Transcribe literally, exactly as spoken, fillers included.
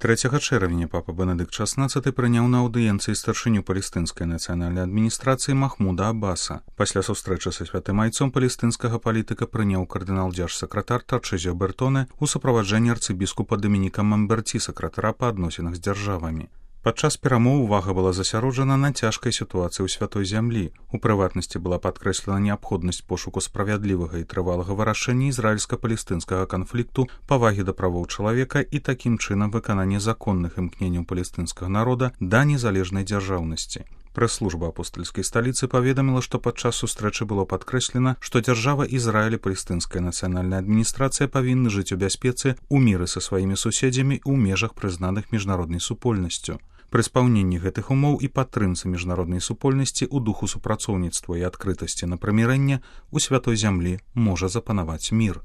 трэцяга чэрвеня папа Бенедыкт шаснаццаты прыняў на аўдыенцыі старшыню палестынскай нацыянальнай адміністрацыі Махмуда Аббаса. Пасля сустрэчы са святым айцом палестынскага палітыка прыняў кардынал-дзярж-сакратар Тарчызіо Бертоне ў суправаджэнні арцыбіскупа Дамініка Мамберці, сакратара па адносінах з дзяржавамі. Падчас перамоў увага была засяроджана на цяжкай сітуацыі ў святой зямлі. У прыватнасці была падкрэслена неабходнасць пошуку справядлівага і трывалага вырашэння ізраільска-палестынскага канфлікту, павагі да правоў чалавека і такім чынам выканання законных імкненняў палестынскага народа да незалежнай дзяржаўнасці. Прэс-служба апостальскай сталіцы паведаміла, што падчас сустрэчы было падкрэслена, што дзяржава Ізраіль і палестынская нацыянальная адміністрацыя павінны жыць у бяспецы, у міры са сваімі суседзямі ў межах прызнаных міжнароднай супольнасцю. Пры спаўненні гэтых умоў і падтрымцы міжнароднай супольнасці ў духу супрацоўніцтва і адкрытасці на прымірэнне у святой зямлі можа запанаваць мір.